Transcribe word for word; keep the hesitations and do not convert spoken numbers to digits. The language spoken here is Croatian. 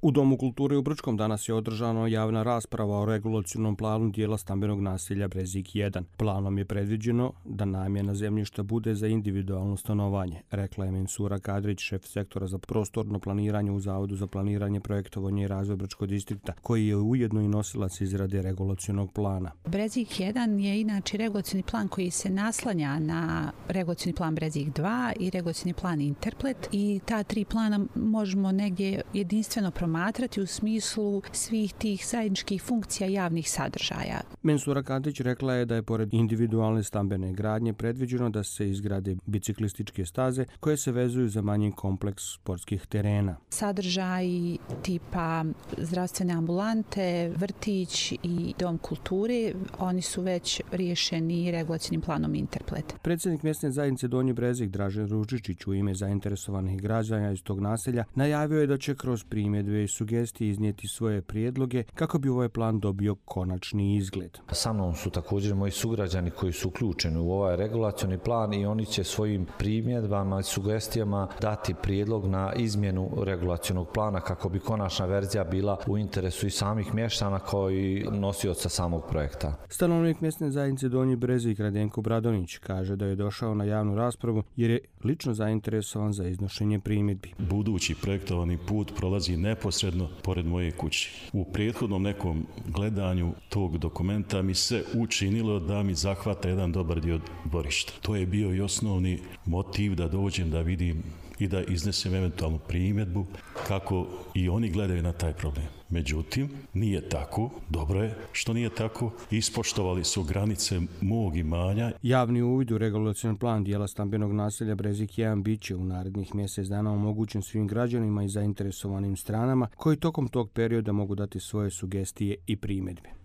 U Domu kulture u Brčkom danas je održana javna rasprava o regulacionom planu dijela stambenog naselja Brezik jedan. Planom je predviđeno da namjena zemljišta bude za individualno stanovanje, rekla je Mensura Kadrić, šef sektora za prostorno planiranje u Zavodu za planiranje, projektovanje i razvoj Brčkog distrikta, koji je ujedno i nosilac izrade regulacionog plana. Brezik jedan je inače regulacioni plan koji se naslanja na regulacioni plan Brezik dva i regulacioni plan Interplet, i ta tri plana možemo negdje jedinstveno promatrati u smislu svih tih zajedničkih funkcija javnih sadržaja. Mensura Kadrić rekla je da je pored individualne stambene gradnje predviđeno da se izgrade biciklističke staze koje se vezuju za manji kompleks sportskih terena. Sadržaji tipa zdravstvene ambulante, vrtić i dom kulture, oni su već riješeni regulacionim planom Interplet. Predsjednik mjesne zajednice Donji Brezik Dražen Ružičić u ime zainteresovanih građana iz tog naselja najavio je da će kroz primjedbe i sugestije iznijeti svoje prijedloge kako bi ovaj plan dobio konačni izgled. Sa mnom su također moji sugrađani koji su uključeni u ovaj regulacioni plan i oni će svojim primjedbama i sugestijama dati prijedlog na izmjenu regulacionog plana kako bi konačna verzija bila u interesu i samih mještana kao i nosioca samog projekta. Stanovnik mjesne zajednice Donji Brezik Radenko Bradonić kaže da je došao na javnu raspravu jer je lično zainteresovan za iznošenje primjedbi. Budući projektovani put prolazi neposredno pored moje kuće. U prethodnom nekom gledanju tog dokumenta mi se učinilo da mi zahvata jedan dobar dio dvorišta. To je bio i osnovni motiv da dođem da vidim i da iznesem eventualnu primjedbu kako i oni gledaju na taj problem. Međutim, nije tako, dobro je što nije tako, ispoštovali su granice mog imanja. Javni uvid u regulacioni plan dijela stambenog naselja Brezik jedan bit će u narednih mjesec dana omogućen svim građanima i zainteresovanim stranama koji tokom tog perioda mogu dati svoje sugestije i primjedbe.